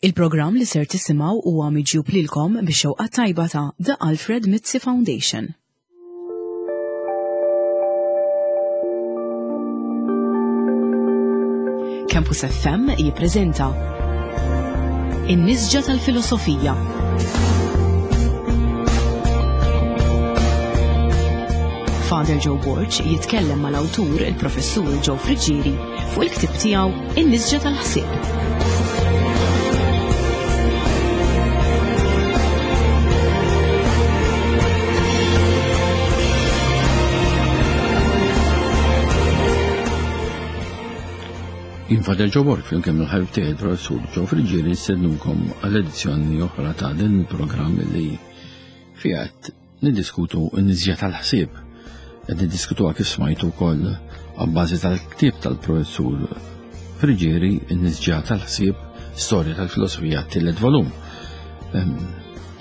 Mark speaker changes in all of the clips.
Speaker 1: Il-programm li ser tisimgħu huwa miġjub lilkom bix-xewqa tajba ta' The Alfred Mizzi Foundation. Campus FM jippreżenta In-Nisġa tal-Filosofija. Father Joe Borg jitkellem mal-awtur il-Professur Joe Friggieri fuq il-ktieb tiegħu In-Nisġa tal-Ħsieb.
Speaker 2: Jien Father Joe Borg flimkien mal-ħabib tiegħi il-Professur Joe Friggieri nistednukom għal edizzjoni oħra ta' din il-programm li fiha qed niddiskutu n-niżja tal-ħsieb. Qed niddiskutuha kif smajtu wkoll għabbażi tal-ktieb tal-Professur Friggieri n-niżja tal-ħsieb Storja tal-Filosofija t-tielet volum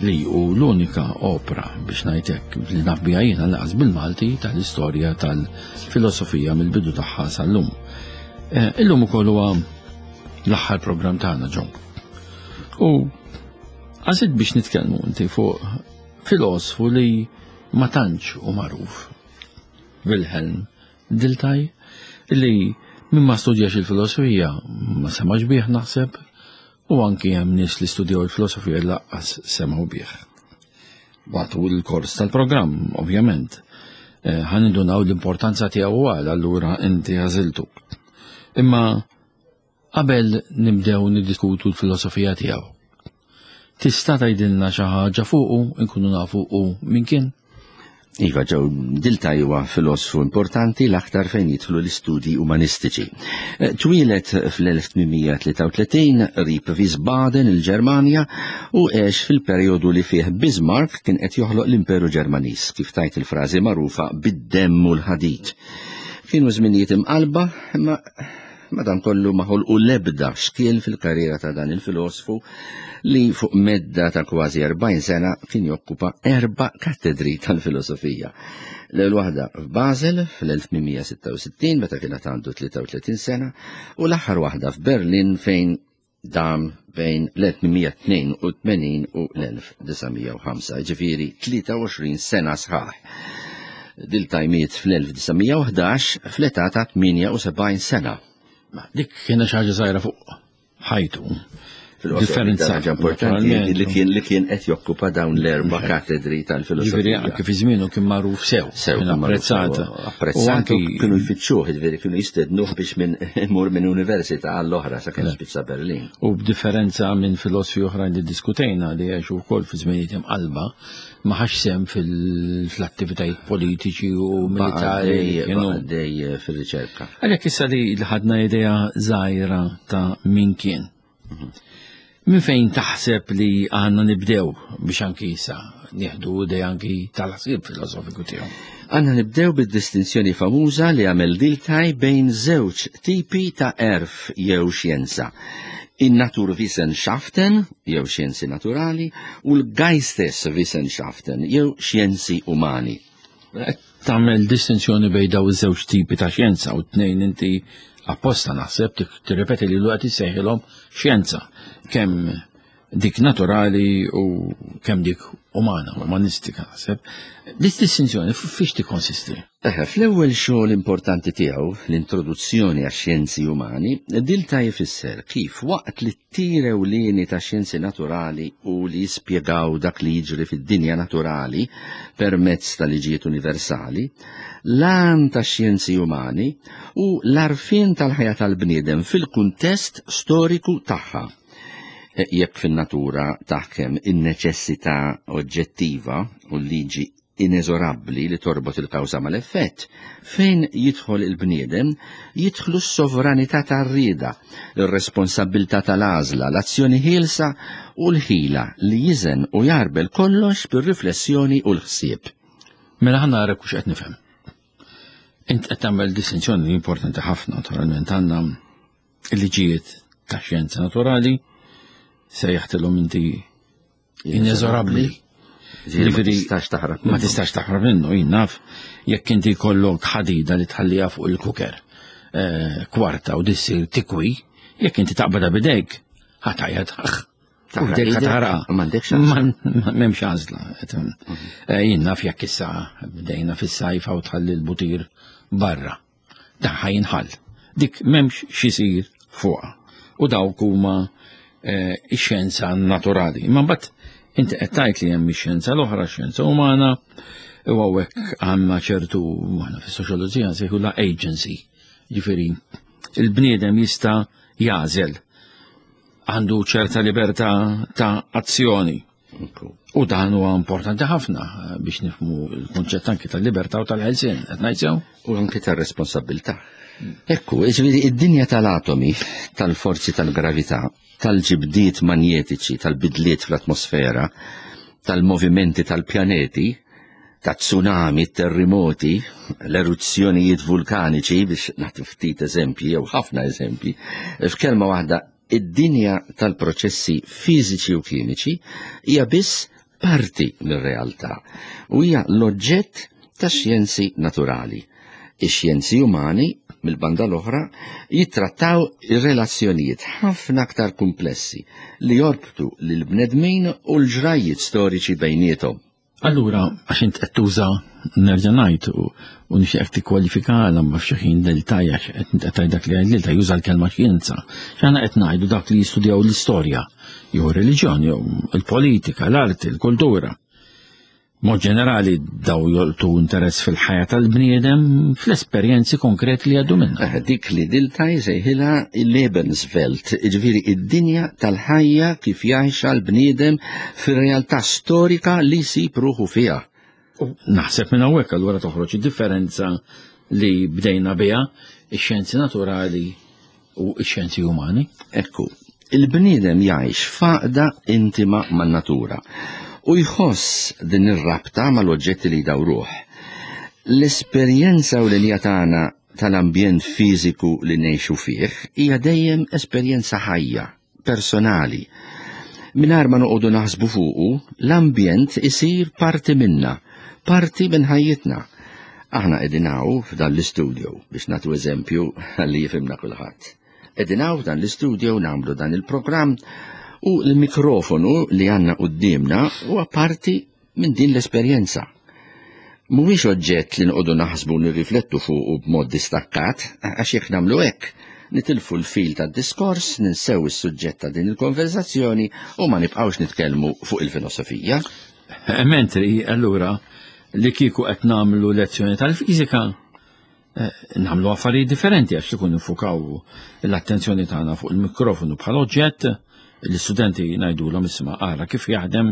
Speaker 2: li hu l-unika opra biex ngħid hekk li naf biha jiena laqas bil-Malti tal-istorja tal-filosofija mill-bidu tagħha sal-lum. Eh, illum ukoll huwa l-aħħar programm tagħna ġon. U għażilt biex nitkellmu inti fuq filosfu li ma tantx u magħruf. Wilhelm Dilthey li min ma studjax il-filosofija ma semax bih naħseb u anki hemm nies li studjaw il-filosofija li laqqas semgħu bih. Matul il-kors tal-programm, ovvjament, eh, ħan indunaw l-importanza tiegħu għal allura inti għażiltu. Imma qabel nibdew niddiskutu l-filosofija tiegħu. Tista' tgħidilna xi ħaġa fuqu nkunu nafu u min kien?
Speaker 3: Iva ġew Dilthey huwa filosfu importanti l-aktar fejn jidħlu l-istudji umanistiċi. Eh, twieled fl-1833 qrib Wiesbaden il-Ġermanja u għex fil-perjodu li fih Bismarck kien qed joħloq l-Imperu Ġermaniż, kif tajt il-frażi magħrufa bid-demm u l-ħadid. Kienu żminijiet imqalba, imma Madankollu ma ħolqu l-ebda xkiel fil-karriera ta' dan il-filosfu li fuq medda ta' kważi 40 sena kien jokkupa erba' kattedri tal-filosofija. L-ewwel waħda f'Basel fl-1866 meta kien għandu 33 sena u l-aħħar waħda f'Berlin fejn dam bejn l-1882 u l-1905, ġifieri 23 sena sħaħ. Dilthey miet fl-1911 fl-età ta' 78 sena.
Speaker 2: Ma dik kienet xi ħaġa żgħira fuq ħajtu.
Speaker 3: Differenza ħaġa importanti li kien li kien qed jokkupa dawn l-erba' katedri tal-filosofija.
Speaker 2: Ġifieri anke fi żmienu kien magħruf sew,
Speaker 3: sew kien
Speaker 2: apprezzat.
Speaker 3: Apprezzat kienu jfittxuh, ġifieri kienu jistednuh biex minn imur minn università għall-oħra sakemm spiċċa Berlin.
Speaker 2: U b'differenza minn filosfi oħrajn li diskutejna li għexu wkoll fi żminijiet imqalba, ma ħax sehem fil-attivitajiet politiċi u militari.
Speaker 3: Għaddej fir-riċerka.
Speaker 2: Għalhekk issa li ħadna idea żgħira ta' min kien. Min fejn taħseb li għandna nibdew biex anki issa nieħdu idea anki tal-ħsieb filosofiku tiegħu?
Speaker 3: Għandna nibdew bid-distinzjoni famuża li għamel Dilthey bejn żewġ tipi ta' għerf jew xjenza. In-Naturwissenschaften, jew xjenzi naturali, u l-Geisteswissenschaften, jew xjenzi umani.
Speaker 2: Tagħmel distinzjoni bejn daw iż-żewġ tipi ta' xjenza u tnejn inti apposta naħseb tirrepeti li l-waqt issejħilhom xjenza kemm dik naturali u kemm dik umana, umanistika naħseb. Dik distinzjoni fiex tikkonsisti?
Speaker 3: Eħe, fl-ewwel xogħol importanti tiegħu, l-Introduzzjoni għax-Xjenzi Umani, Dilthey ifisser kif waqt li t-tir ewlieni tax-xjenzi naturali hu li jispjegaw dak li jiġri fid-dinja naturali permezz ta' liġijiet universali, l-għan tax-xjenzi umani hu l-għarfien tal-ħajja tal-bniedem fil-kuntest storiku tagħha. Jekk fin-natura taħkem in-neċessità oġġettiva u l-liġi ineżorabbli li torbot il-kawża mal-effett, fejn jidħol il-bniedem, jidħlu s-sovranità tar-rieda, ir-responsabbiltà tal-għażla, l-azzjoni ħielsa u l-ħila li jiżen u jgħarbel kollox bir-riflessjoni u l-ħsieb.
Speaker 2: Mela ħa nara hux qed nifhem. Int qed tagħmel distinzjoni importanti ħafna, naturalment għandna il-liġijiet ta' xjenza naturali, sejjaħtilhom inti ineżorabbli.
Speaker 3: Ġifieri tistax taħrab.
Speaker 2: Ma tistax taħrab minnu, jien naf, jekk inti jkollok ħadida li tħalliha fuq il-kuker eh, kwarta u dissir tikwi, jekk inti taqbadha bidejk, ħatajja taħ. Taħraq taħraq.
Speaker 3: M'għandekx għażla.
Speaker 2: M'hemmx għażla. Mhm. Eh, jien naf jekk issa bdejna fis-sajfa u tħalli l-butir barra. Dan ħa jinħall. Dik m'hemmx x'isir fuqha. U dawk huma eh, ix-xjenza naturali. Imma mbagħad inti qed tgħid li hemm ix-xjenza l-oħra, x-xjenza umana, u hawnhekk għandna ċertu aħna fis-soċjoloġija nsejħu la agency. Ġifieri, il-bniedem jista' jagħżel għandu ċerta libertà ta' azzjoni. U dan huwa importanti ħafna eh, biex nifhmu l-kunċett anki tal-libertà u tal-ħelsien, qed ngħid sew?
Speaker 3: U anki tar-responsabilità. Ekku, jiġifieri id-dinja tal-atomi, tal-forzi tal-gravità, tal-ġibdiet manjetiċi, tal-bidliet fl-atmosfera, tal-movimenti tal-pjaneti, ta' tsunami, terrimoti, l-eruzzjonijiet vulkaniċi biex nagħti ftit eżempji jew ħafna eżempji, f'kelma waħda id-dinja tal-proċessi fiżiċi u kimiċi hija biss parti mir-realtà u hija l-oġġett ta' xjenzi naturali. Ix-xjenzi umani, mill-banda l-oħra, jittrattaw ir-relazzjonijiet ħafna aktar kumplessi li jorbtu lill-bnedmin u l-ġrajjiet storiċi bejniethom.
Speaker 2: Allura, għax int qed tuża nerġa' ngħid u nixtieqek tikkwalifika għal ma f'xi ħin Diltaj għax qed tgħid dak li għid Diltaj juża l-kelma xjenza. X'aħna qed ngħidu dak li jistudjaw l-istorja, jew ir-reliġjon, jew il-politika, l-arti, il-kultura. Mod ġenerali daw jolqtu interess fil-ħajja tal-bniedem fl-esperjenzi konkreti li għaddu minnha.
Speaker 3: Eh, dik li Diltaj sejħilha il-Lebenswelt, jiġifieri id-dinja tal-ħajja kif jgħixha l-bniedem fir-realtà storika li jsib ruħu fiha.
Speaker 2: U naħseb minn hawnhekk allura toħroġ id-differenza li bdejna biha ix-xjenzi naturali u x-xjenzi umani.
Speaker 3: Ekku, il-bniedem jgħix f'għaqda intima man-natura u jħoss din ir-rabta mal-oġġetti li jdawruh. L-esperjenza u l tagħna tal-ambjent fiżiku li ngħixu fih hija dejjem esperjenza ħajja, personali. Mingħajr ma noqogħdu naħsbu fuqu, l-ambjent isir parti minna, parti minn ħajjitna. Aħna qegħdin hawn f'dan l-istudio biex nagħtu eżempju ħalli jifhimna kulħadd. Qegħdin hawn f'dan l-istudio nagħmlu dan il-programm u l-mikrofonu li għandna quddiemna huwa parti minn din l-esperjenza. Mhuwiex oġġett li noqogħdu naħsbu nirriflettu fuqu b'mod distakkat, għax jekk nagħmlu hekk, nitilfu l-fil tad-diskors, ninsew is-suġġett ta' din il-konversazzjoni u ma nibqgħux nitkellmu fuq il-filosofija.
Speaker 2: Mentri, allura, li kieku qed nagħmlu lezzjoni tal-fiżika, eh, nagħmlu affarijiet differenti għax ikun nifukaw l-attenzjoni tagħna fuq il-mikrofonu bħala oġġett, l-istudenti ngħidulhom isma' ara kif jaħdem,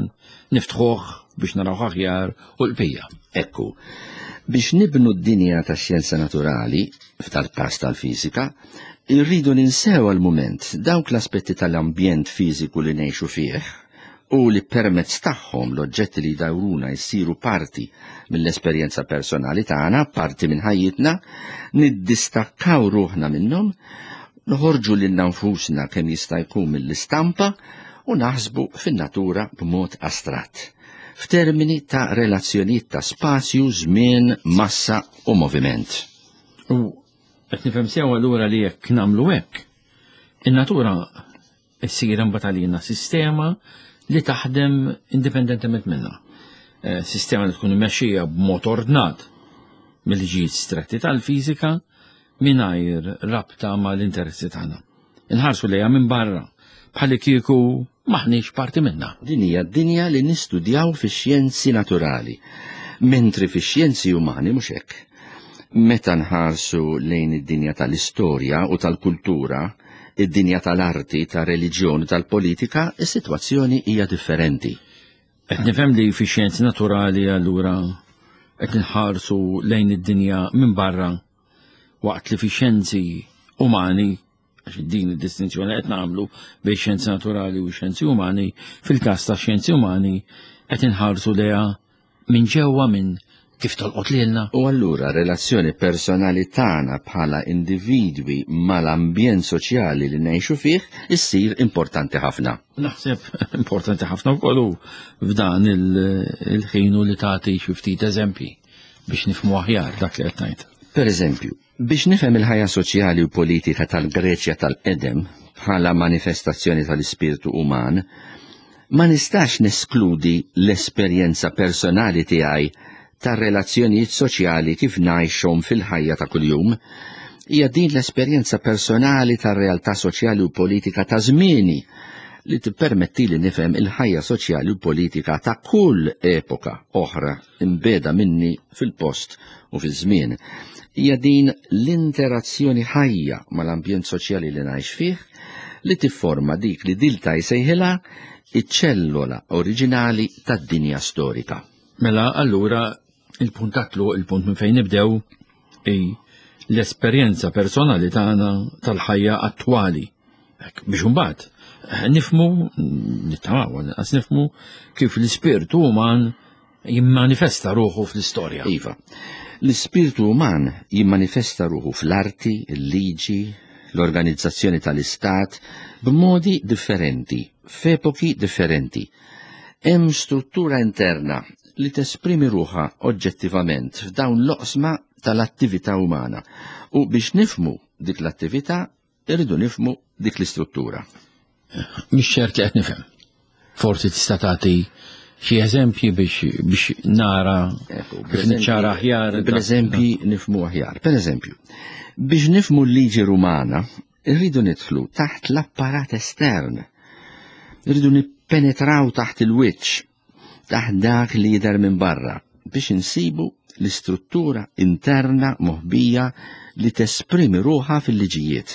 Speaker 2: niftħuh biex naraw aħjar u l-bqija.
Speaker 3: Ekku, biex nibnu d-dinja tax-xjenza naturali, f'dal-każ tal-fiżika, irridu ninsew għal mument dawk l-aspetti tal-ambjent fiżiku li ngħixu fih u li permezz tagħhom l-oġġetti li jdawruna jsiru parti mill-esperjenza personali tagħna, parti minn ħajjitna, niddistakkaw ruħna minnhom, noħorġu lilna nfusna kemm jista' jkun mill-istampa u naħsbu fin-natura b'mod astratt, f'termini ta' relazzjonijiet ta' spazju, żmien, massa u moviment.
Speaker 2: U qed nifhem sew allura li jekk nagħmlu hekk, in-natura issir imbagħad għalina sistema li taħdem indipendentement minna. Eh, sistema li tkun imexxija b'mod ordnat mill-liġijiet stretti tal-fiżika mingħajr rabta mal-interessi tagħna. Inħarsu lejha minn barra bħalli kieku maħniex parti minna.
Speaker 3: Din hija d-dinja li nistudjaw fix-xjenzi naturali, mentri fix-xjenzi umani mhux hekk. Meta nħarsu lejn id-dinja tal-istorja u tal-kultura, id-dinja tal-arti, tar-reliġjon u tal-politika, is-sitwazzjoni hija differenti.
Speaker 2: Qed nifhem li fix-xjenzi naturali allura qed inħarsu lejn id-dinja minn barra waqt li fix-xjenzi umani għax din id-distinzjoni qed nagħmlu bejn xjenzi naturali u xjenzi umani, fil-każ ta' xjenzi umani qed inħarsu lejha minn ġewwa minn kif tolqot lilna.
Speaker 3: U allura relazzjoni personali tagħna bħala individwi mal-ambjent soċjali li ngħixu fih issir importanti ħafna.
Speaker 2: Naħseb importanti ħafna wkoll hu f'dan il-ħin u li tagħti xi ftit eżempji biex nifhmu aħjar dak li qed ngħid.
Speaker 3: Per eżempju, biex nifhem il-ħajja soċjali u politika tal-Greċja tal-qedem bħala manifestazzjoni tal-ispirtu uman, Ma nistax neskludi l-esperjenza personali tiegħi tar-relazzjonijiet soċjali kif ngħixhom fil-ħajja ta' kuljum. Hija din l-esperjenza personali tar-realtà soċjali u politika ta' żmieni li tippermettili nifhem il-ħajja soċjali u politika ta' kull epoka oħra imbeda minni fil-post u fiż-żmien. Hija din l-interazzjoni ħajja mal-ambjent soċjali li ngħix fih li tifforma dik li Dilthey jsejħilha iċ-ċellola oriġinali tad-dinja storika.
Speaker 2: Mela allura il-punt tatlu, il-punt minn fejn nibdew hi l-esperjenza personali tagħna tal-ħajja attwali. Hekk, biex imbagħad nifhmu, nittamaw, għas nifhmu kif l-ispirtu uman jimmanifesta ruħu fl-istorja.
Speaker 3: Iva, l-ispirtu uman jimmanifesta ruħu fl-arti, il-liġi, l-organizzazzjoni tal-istat, b'modi differenti, f'epoki differenti. Hemm struttura interna li tesprimi ruħha oġġettivament f'dawn l-oqsma tal-attività umana u biex nifhmu dik l-attività irridu nifhmu dik l-istruttura.
Speaker 2: Mhix ċert li qed nifhem. Forsi tista' tagħti xi eżempji biex nara kif niċċara aħjar.
Speaker 3: Bl-eżempji nifhmu aħjar. Per eżempju, biex nifhmu l-liġi Rumana, irridu nidħlu taħt l-apparat estern. Irridu nippenetraw taħt il-wiċċ, taħt dak li jidher minn barra, biex insibu l-istruttura interna moħbija li tesprimi ruħha fil-liġijiet.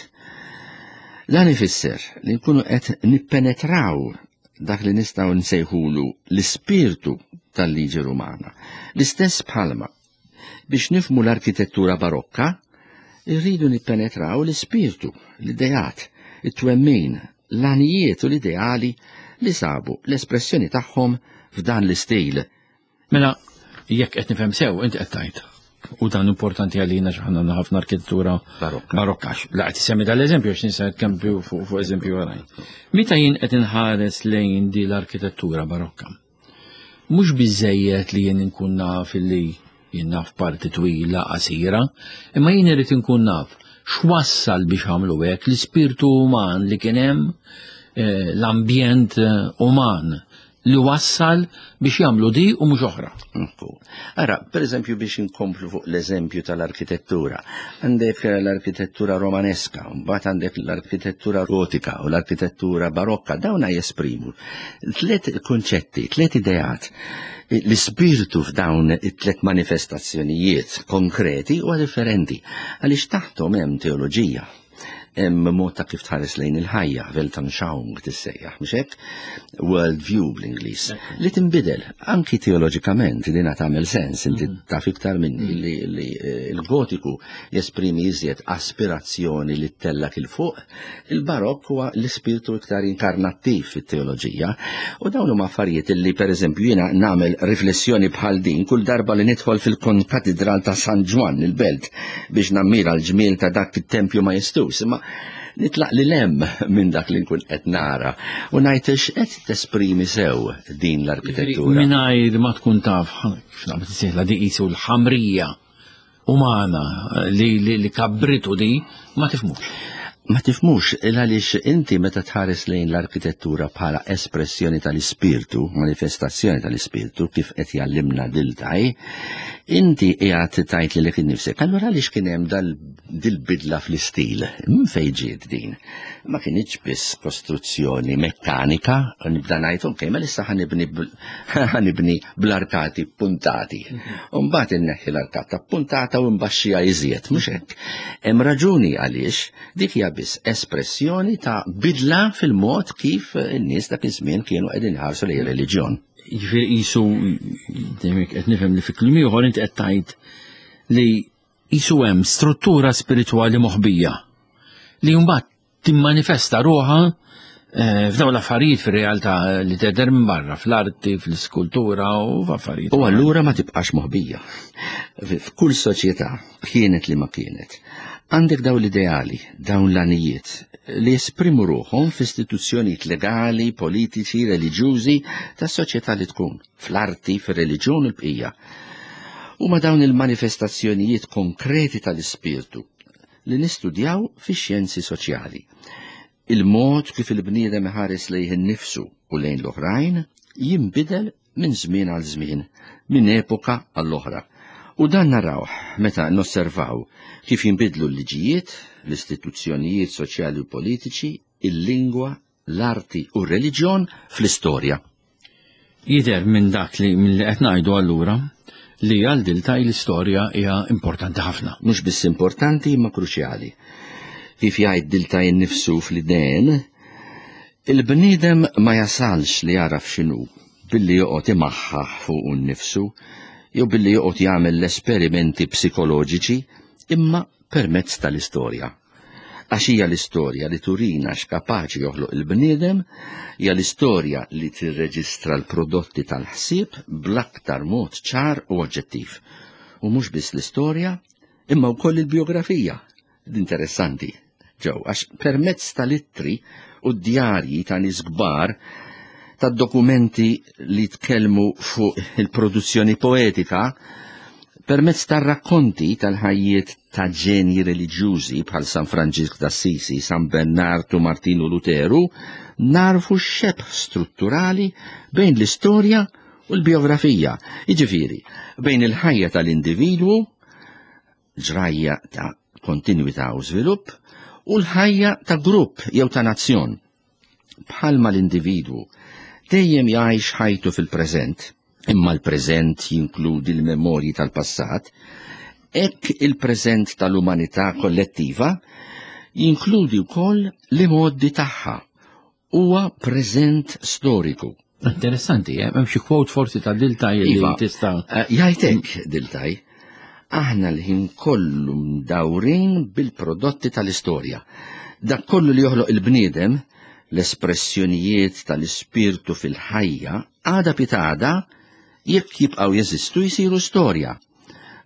Speaker 3: Dan ifisser li nkunu qed nippenetraw dak li nistgħu nsejħulu l-ispirtu tal-liġi Rumana. L-istess bħalma biex nifhmu l-arkitettura barokka, irridu nippenetraw l-ispirtu, l-ideat, it-twemmin, l-għanijiet u l-ideali li sabu l-espressjoni tagħhom f'dan l-istil.
Speaker 2: Mela, jekk qed nifhem sew, inti qed tgħid. U dan importanti għalina x'aħna għandna ħafna arkitettura
Speaker 3: barokka.
Speaker 2: Barokka. La qed isemmi dal-eżempju għax nista' nitkellem fuq eżempju oħrajn. Meta jien qed inħares lejn di l-arkitettura barokka, mhux biżejjed li jien inkun naf li jien naf parti twila qasira, imma jien irid inkun naf x'wassal biex għamlu hekk l-ispirtu uman li kien hemm, l-ambjent uman li wassal biex jagħmlu di u mhux oħra.
Speaker 3: Ara, per eżempju biex inkomplu fuq l-eżempju tal-arkitettura, għandek l-arkitettura romaneska, mbagħad għandek l-arkitettura gotika u l-arkitettura barokka, dawna jesprimu tliet konċetti, tliet ideat. L-ispirtu f'dawn it-tliet manifestazzjonijiet konkreti huwa differenti, għaliex taħthom hemm teoloġija, hemm mod ta' kif tħares lejn il-ħajja, Weltanschauung tissejjaħ, mhux hekk? World view bl-Ingliż, li tinbidel anki teoloġikament, li tagħmel sens, inti taf iktar minni li l-gotiku jesprimi iżjed aspirazzjoni li ttellak il fuq, il-barokk huwa l-ispirtu iktar inkarnattiv fit-teoloġija, u dawn huma affarijiet li pereżempju jiena nagħmel riflessjoni bħal din kull darba li nidħol fil-Konkatedral ta' San Ġwann il-Belt biex nammira l-ġmiel ta' dak it-tempju majestuż, imma nitlaq li lem minn dak li nkun qed nara u ngħid x'qed tesprimi sew din l-arkitettura.
Speaker 2: Mingħajr ma tkun taf, kif naqbad isejħla di qisu l-ħamrija umana li kabritu di, ma tifmux.
Speaker 3: Ma tifmux, għaliex inti meta tħares lejn l-arkitettura bħala espressjoni tal-ispirtu, manifestazzjoni tal-ispirtu, kif qed jallimna Dilthey, inti qiegħed tgħid lilek innifsek, allura għaliex kien hemm dil-bidla fl-istil? Minn fejn ġiet din? Ma kienx biss kostruzzjoni mekkanika, nibda ngħid, ok, ma issa ħanibni bl-arkati puntati. U mbagħad inneħħi l-arkata puntata u nbaxxiha iżjed, mhux hekk. Hemm raġuni għaliex dik hija biss espressjoni ta' bidla fil-mod kif in-nies dak iż-żmien kienu qegħdin iħarsu lejn reliġjon.
Speaker 2: Jiġifieri qisu qed nifhem li fi kliem ieħor inti qed tgħid li qisu hemm struttura spiritwali moħbija li mbagħad timmanifesta ruħha f'dawn l-affarijiet fir-realtà li tidher minn barra, fl-arti, fl-iskultura u f'affarijiet.
Speaker 3: U allura ma tibqax moħbija. F'kull soċjetà, kienet li ma kienet, għandek dawn l-ideali, dawn l-għanijiet li jesprimu ruħhom f'istituzzjonijiet legali, politiċi, reliġjużi tas-soċjetà li tkun, fl-arti, fir-reliġjon u l-bqija. Huma dawn il-manifestazzjonijiet konkreti tal-ispirtu li nistudjaw fix-xjenzi soċjali. Il-mod kif il-bniedem iħares lejh innifsu u lejn l-oħrajn jinbidel minn żmien għal żmien, minn epoka għall-oħra. U dan narawh meta nosservaw kif jinbidlu l-liġijiet, l-istituzzjonijiet soċjali u politiċi, il-lingwa, l-arti u r-reliġjon fl-istorja.
Speaker 2: Jidher minn dak li minn li qed ngħidu allura li għal Diltaj l-istorja hija importanti ħafna.
Speaker 3: Mhux biss importanti imma kruċjali. Kif jgħid Diltaj innifsu fl-idejn, il-bniedem ma jasalx li jagħraf x'inhu billi joqgħod imaħħaħ fuqu nnifsu jew billi joqgħod jagħmel l-esperimenti psikoloġiċi imma permezz tal-istorja. Għax hija l-istorja li turina x'kapaċi joħloq il-bniedem, hija l-istorja li tirreġistra l-prodotti tal-ħsieb bl-aktar mod ċar u oġġettiv. U mhux biss l-istorja, imma wkoll il-bijografija. Interessanti, ġew, għax permezz tal-ittri u d-djarji ta' nies kbar tad-dokumenti li tkellmu fuq il-produzzjoni poetika, permezz tar-rakkonti tal-ħajjiet ta' ġenji reliġjużi bħal San Franġisk d'Assisi, San Bernard u Martinu Luteru, narfu x-xebh strutturali bejn l-istorja u l-bijografija, jiġifieri bejn il-ħajja tal-individwu, ġrajja ta' kontinwità u żvilupp, u l-ħajja ta' grupp jew ta' nazzjon. Bħalma l-individwu dejjem jgħix ħajtu fil-preżent, imma l-preżent jinkludi l-memorji tal-passat, hekk il-preżent tal-umanità kollettiva jinkludi wkoll l-imgħoddi tagħha, huwa preżent storiku.
Speaker 2: Interessanti, eh? hemm xi quote forsi ta' Diltaj li
Speaker 3: iva,
Speaker 2: tista'
Speaker 3: eh, jgħidlek Diltaj, aħna l-ħin kollu mdawrin bil-prodotti tal-istorja. Dak kollu li joħloq il-bniedem, l-espressjonijiet tal-ispirtu fil-ħajja, għada pitada, jekk jibqgħu jeżistu jsiru storja.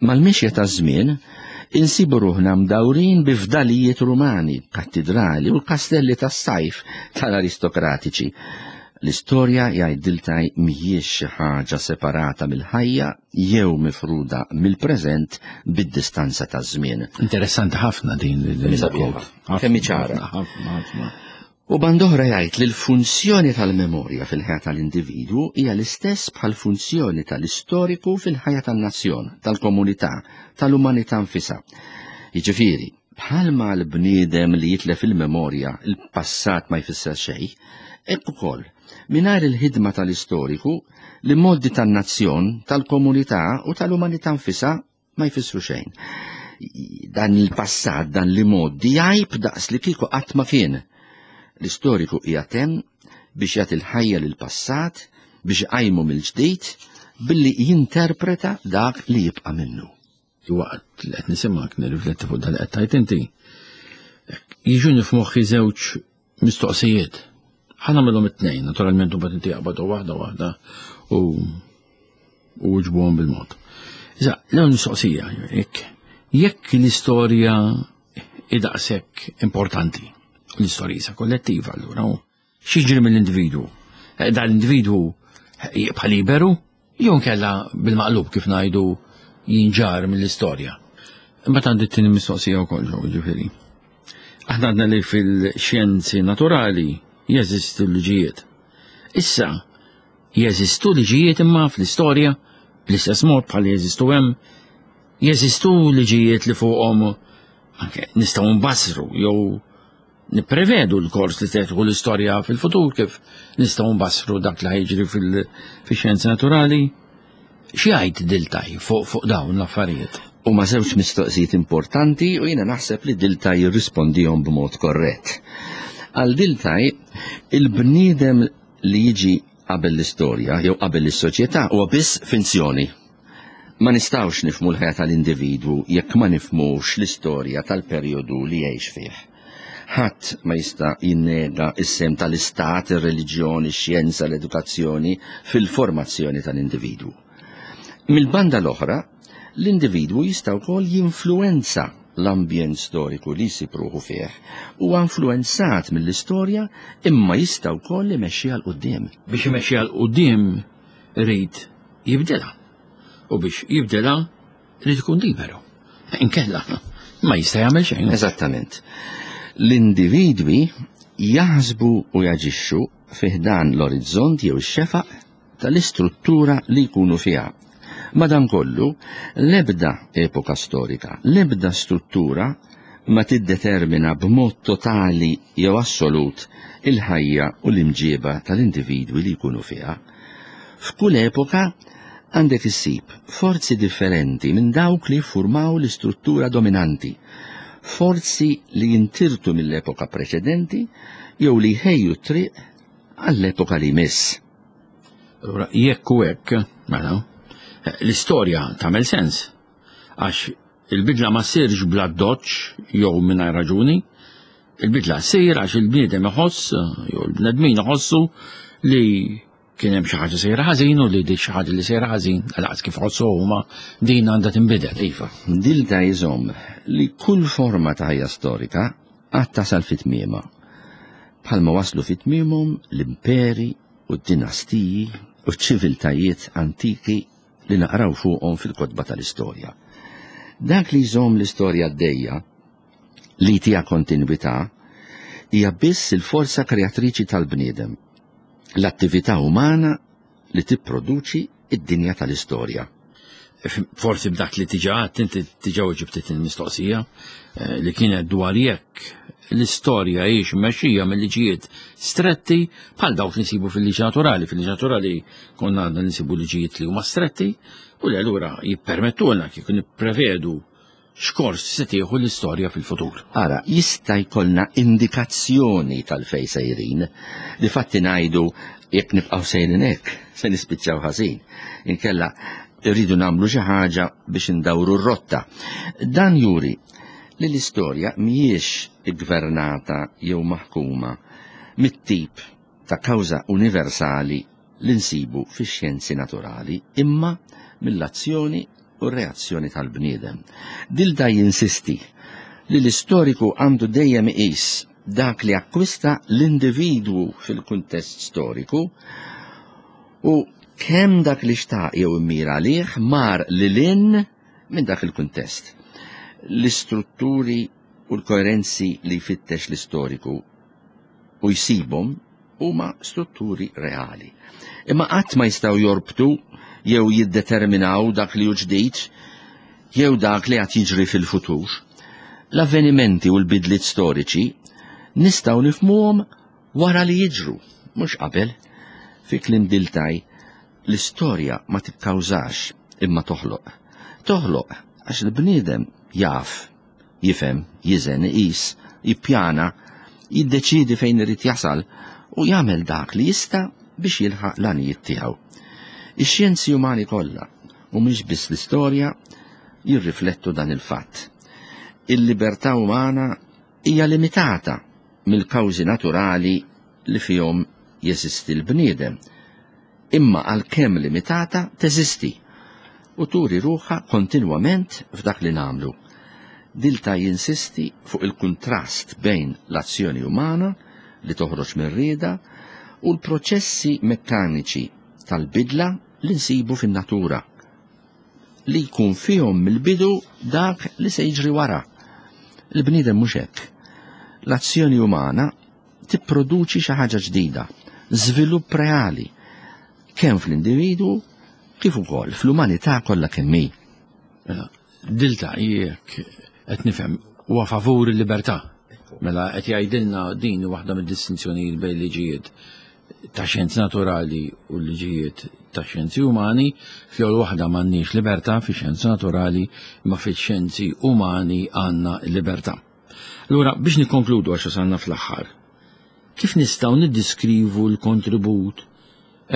Speaker 3: Mal-mixja taż-żmien, insibu ruħna mdawrin bi fdalijiet Rumani, kattidrali u l-kastelli tas-sajf tal-aristokratiċi. L-istorja jgħid Diltaj mhijiex xi ħaġa separata mill-ħajja jew mifruda mill-preżent bid-distanza taż-żmien.
Speaker 2: Interessanti ħafna din
Speaker 3: il-quote. Kemm ċara.
Speaker 2: Ħafna, ħafna.
Speaker 3: U band'oħra jgħid li l-funzjoni tal-memorja fil-ħajja tal-individwu hija l-istess bħall-funzjoni tal-istoriku fil-ħajja tan-nazzjon, tal-komunità, tal-umanità nfisha. Jiġifieri, bħalma l-bniedem li jitlef il-memorja il-passat ma jfisser xejn, hekk ukoll, mingħajr il-ħidma tal-istoriku, l-imgħoddi tan-nazzjon, tal-komunità u tal-umanità nfisha ma jfissru xejn. Dan il-passat, dan li moddi jgħib daqs li kieku qatt ma kien. L-istoriku qiegħed hemm biex jagħti l-ħajja lill-passat, biex iqajmu mill-ġdid billi jinterpreta dak li jibqa' minnu.
Speaker 2: Waqt li qed nisimgħek nirrifletti fuq dan li qed tgħid inti, jiġuni f'moħħi żewġ mistoqsijiet. Ħa nagħmilhom it-tnejn, naturalment u inti jaqbadu waħda waħda u u uġbuhom bil-mod. Iżda, l-ewwel mistoqsija, jekk jekk l-istorja idaqshekk importanti, l-istorja isa kollettiva allura, x'jiġri mill-individwu? Eh, dan l-individwu jibqa' liberu jew nkella bil-maqlub kif ngħidu jinġar mill-istorja. Imbagħad għandi t-tieni mistoqsija wkoll ġew ġifieri. Aħna għadna li fil-xjenzi naturali jeżistu l-liġijiet. Issa, Jeżistu liġijiet imma fl-istorja, bl-istess mod bħal jeżistu hemm, jeżistu liġijiet li fuqhom anke nistgħu nbassru jew nipprevedu l-kors li se l-istorja fil-futur kif nistgħu nbassru dak li ħajġri fil-xjenzi naturali. Xi jgħid Diltaj fuq fuq dawn l-affarijiet?
Speaker 3: Huma żewġ mistoqsijiet importanti u jiena naħseb li Diltaj jirrispondihom b'mod korrett. Għal Diltaj, il-bniedem li jiġi qabel l-istorja jew qabel is-soċjetà huwa biss finzjoni. Ma nistgħux nifhmu l-ħajja tal-individwu jekk ma nifhmux l-istorja tal-perjodu li jgħix fih. Ħadd ma jista' jinnega s-sehem tal-istat, ir-reliġjon, ix-xjenza, l-edukazzjoni fil-formazzjoni tal-individwu. Mill-banda l-oħra, l-individwu jista' wkoll jinfluwenza l-ambjent storiku li jsib ruħu fih. Huwa influwenzat mill-istorja imma jista' wkoll imexxiha 'l quddiem.
Speaker 2: Biex imexxiha 'l quddiem irid jibdilha. U biex jibdilha irid ikun liberu. Inkella ma jista' jagħmel xejn.
Speaker 3: Eżattament. L-individwi Jaħsbu u jaġixxu fi ħdan l-orizzont jew ix-xefaq tal-istruttura li jkunu fiha. Madankollu, l-ebda epoka storika, l-ebda struttura ma tiddetermina b'mod totali jew assolut il-ħajja u l-imġieba tal-individwi li jkunu fiha. F'kull epoka għandek issib forzi differenti minn dawk li jiffurmaw l-istruttura dominanti, forzi li jintirtu mill-epoka preċedenti jew li jħejju t-triq għall-epoka li jmiss.
Speaker 2: Allura, jekk u hekk, mela, l-istorja tagħmel sens għax il-bidla ma ssirx bla doċ jew mingħajr raġuni, il-bidla ssir għax il-bniedem iħoss jew il-bnedmin iħossu li kien hemm xi ħaġa sejra ħażin u li dik xi ħaġa li sejra ħażin għalaqs kif ħossu huma din għandha tinbidel.
Speaker 3: Iva, Dilta jżomm li kull forma ta' ħajja storika għad tasal fi tmiemha. Bħalma waslu fi tmiemhom l-imperi u d-dinastiji u ċ-ċiviltajiet antiki li naqraw fuqhom fil-kotba tal-istorja. Dak li jżomm l-istorja għaddejja, li jtiha kontinwità, hija biss il-forza kreatriċi tal-bniedem, l-attività umana li tipproduċi id-dinja tal-istorja.
Speaker 2: Forsi b'dak li tiġa għadt inti tiġa weġibt il-mistoqsija eh, li kienet dwar jekk l-istorja hiex mmexxija mill-liġijiet stretti bħal dawk li nsibu fil-liġi naturali. Fil-liġi naturali konna għandna nsibu liġijiet li huma stretti u li allura jippermettulna kif nipprevedu x'kors se tieħu l-istorja fil-futur.
Speaker 3: Ara, jista' jkollna indikazzjoni tal-fej sejrin. Difatti ngħidu jekk nibqgħu sejrin hekk, se nispiċċaw ħażin. Inkella rridu nagħmlu xi ħaġa biex indawru r-rotta. Dan juri li l-istorja mhijiex iggvernata jew maħkuma mit-tip ta' kawża universali li nsibu fix-xjenzi naturali, imma mill-azzjoni u r-reazzjoni tal-bniedem. Dilda jinsisti li l-istoriku għandu dejjem iqis dak li akkwista l-individwu fil-kuntest storiku u kemm dak li xtaq jew immira għalih mar lil hinn minn dak il-kuntest. L-istrutturi u l-koerenzi li jfittex l-istoriku u jsibhom huma strutturi reali. Imma qatt ma jistgħu jorbtu jew jiddeterminaw dak li hu ġdid jew dak li għad jiġri fil-futur. L-avvenimenti u l-bidliet storiċi nistgħu nifhmuhom wara li jiġru, mhux qabel. Fi kliem Dilthey, l-istorja ma tikkawżax imma toħloq. Toħloq għax il-bniedem jaf jifhem, jiżen, iqis, jippjana, jiddeċiedi fejn irid jasal u jagħmel dak li jista' biex jilħaq l-għanijiet tiegħu. Ix-xjenzi umani kollha, u mhix biss l-istorja, jirriflettu dan il-fatt. Il-libertà umana hija limitata mill-kawżi naturali li fihom jeżisti l-bniedem, imma għalkemm limitata teżisti u turi ruħha kontinwament f'dak li nagħmlu. Dilthey jinsisti fuq il-kuntrast bejn l-azzjoni umana li toħroġ mir-rieda u l-proċessi mekkaniċi tal-bidla li nsibu fin-natura, li jkun fihom mill-bidu dak li se jiġri wara. Il-bniedem mhux hekk. L-azzjoni umana tipproduċi xi ħaġa ġdida, żvilupp reali, kemm fl-individwu kif ukoll fl-umanità kollha kemm hi.
Speaker 2: Mela, Dilthey jekk qed nifhem huwa favur il-libertà. Mela qed jgħidilna din waħda mid-distinzjonijiet bejn liġijiet ta' xjenzi naturali u liġijiet ta' xjenzi umani, fl-ewwel waħda m'għandniex libertà fi xjenzi naturali, imma fi xjenzi umani għandna libertà. Allura biex nikkonkludu għax wasalna fl-aħħar, kif nistgħu niddiskrivu l-kontribut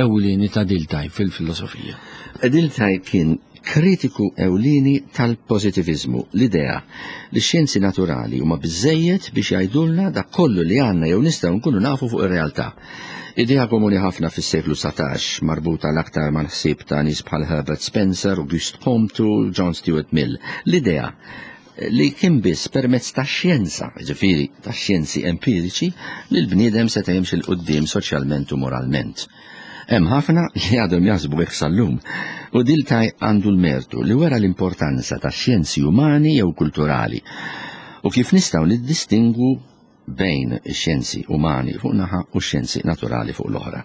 Speaker 2: ewlieni ta' Dilthey fil-filosofija?
Speaker 3: Dilthey kien kritiku ewlieni tal-pożitiviżmu, l-idea li x-xjenzi naturali huma biżżejjed biex jgħidulna dak kollu li għandna jew nistgħu nkunu nafu fuq ir-realtà. Idea komuni ħafna fis-seklu 19, marbuta l-aktar mal-ħsieb ta' nies bħal Herbert Spencer, Auguste Comte u John Stuart Mill. L-idea li kien biss permezz tax-xjenza, jiġifieri tax-xjenzi empiriċi, li l-bniedem seta' jimxi 'l quddiem soċjalment u moralment. Hemm ħafna li għadhom jaħsbu hekk sal-lum, u Dilthey għandu l-mertu li wera l-importanza tax-xjenzi umani jew kulturali u kif nistgħu niddistingwu bejn ix-xjenzi umani fuq naħa u x-xjenzi naturali fuq l-oħra.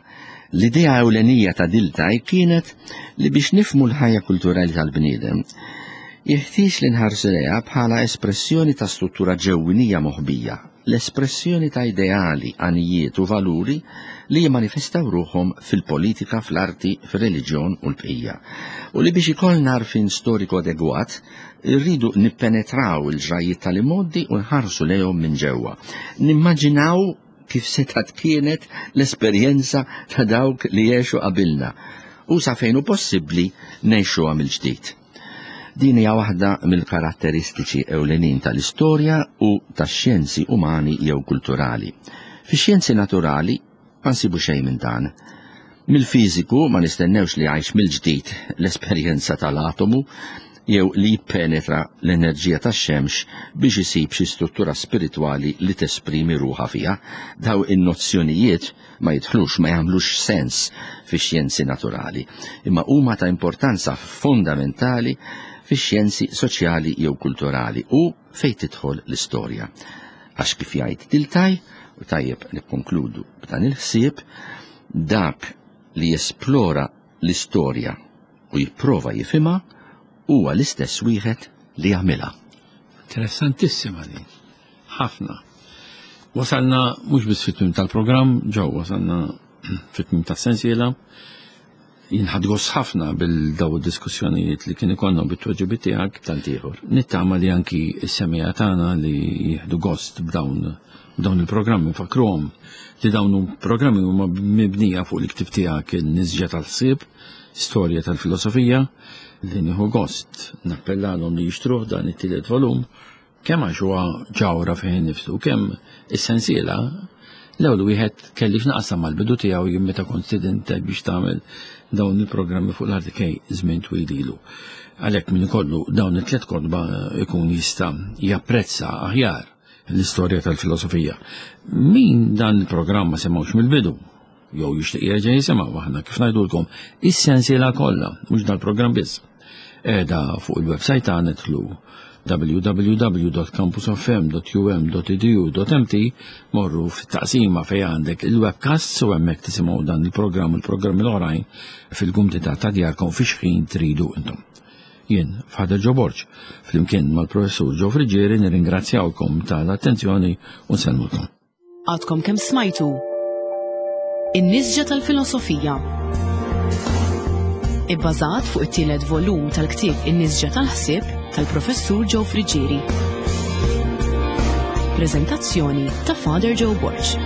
Speaker 3: L-idea ewlenija ta' Dilthey kienet li biex nifhmu l-ħajja kulturali tal-bniedem, jeħtieġ li nħarsu lejha bħala espressjoni ta' struttura ġewwinija moħbija, l-espressjoni ta' ideali, għanijiet u valuri li jimmanifestaw ruħhom fil-politika, fl-arti, fir-reliġjon u l-bqija. U li biex ikollna għarfien storiku adegwat, irridu nippenetraw il-ġrajjiet tal-imgħoddi u nħarsu lejhom minn ġewwa. Nimmaġinaw kif setgħet kienet l-esperjenza ta' dawk li għexu qabilna u sa fejn hu possibbli ngħixuha mill-ġdid. Din hija waħda mill-karatteristiċi ewlenin tal-istorja u tax-xjenzi umani jew kulturali. Fix-xjenzi naturali ma nsibu xejn minn dan. Mill-fiżiku ma nistennewx li jgħix mill-ġdid l-esperjenza tal-atomu jew li jippenetra l-enerġija tax-xemx biex isib xi struttura spiritwali li tesprimi ruħha fiha. Daw in-nozzjonijiet ma jidħlux, ma jagħmlux sens fix-xjenzi naturali, imma huma ta' importanza fondamentali fix-xjenzi soċjali jew kulturali u fejn tidħol l-istorja. Għax kif jgħid Dilthey, u tajjeb nikkonkludu b'dan il-ħsieb, dak li jesplora l-istorja u jipprova jifhimha huwa l-istess wieħed li jagħmilha.
Speaker 2: Interessantissima din. Ħafna. Wasalna mhux biss fit-tmiem tal-programm, ġew wasalna fit-tmiem tas-sensiela. Jien ħadt gost ħafna bil-daw id-diskussjonijiet li kien ikollna bit-tweġibiet tiegħek.
Speaker 3: Tant ieħor.
Speaker 2: Nittama li anki s-semija tagħna li jieħdu gost b'dawn dawn il-programmi fakruhom li dawn programmi huma mibnija fuq il-ktieb tiegħek il-Nisġa tal-Ħsieb, Storja tal-Filosofija, li nieħu gost nappellalhom li jixtruh dan it-tielet volum kemm għax huwa ġawra fih innifsu, kemm is-sensiela l-ewwel wieħed kelli x'naqsam mal-bidu tiegħu jien meta kont stidentek biex tagħmel dawn il-programmi fuq l-RTK żmien twil ilu. Għalhekk min ikollu dawn it-tliet kotba ikun jista' japprezza aħjar l-istorja tal-filosofija. Min dan il-programm ma semgħux mill-bidu, jew jixtieq jerġa' jisimgħu aħna kif ngħidulkom is-sensiela kollha, mhux dal-programm biss. Qiegħda fuq il-website tagħna tlu www.campusfm.um.edu.mt morru fit-taqsima fejn għandek il-webcasts u hemmhekk tisimgħu dan il-programm u l-programmi l-oħrajn fil-kumdità ta' djarkom fi xħin tridu intom. Jien, Father Joe Borg, flimkien mal-Professur Joe Friggieri nirringrazzjawkom tal-attenzjoni u nsellmulkom.
Speaker 1: Għadkom kemm smajtu In-Nisġa tal-Filosofija. Ibbażat fuq it-tielet volum tal-ktieb In-Nisġa tal-Ħsieb tal-Professur Joe Friggieri. Preżentazzjoni ta' Father Joe Borg.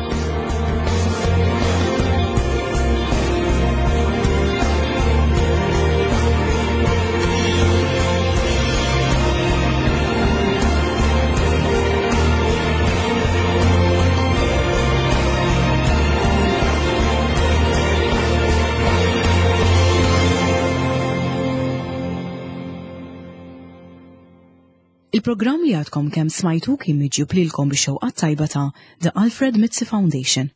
Speaker 1: Il-programm li għadkom kemm smajtu kien miġjub lilkom bix-xewqat tajba ta' The Alfred Mizzi Foundation.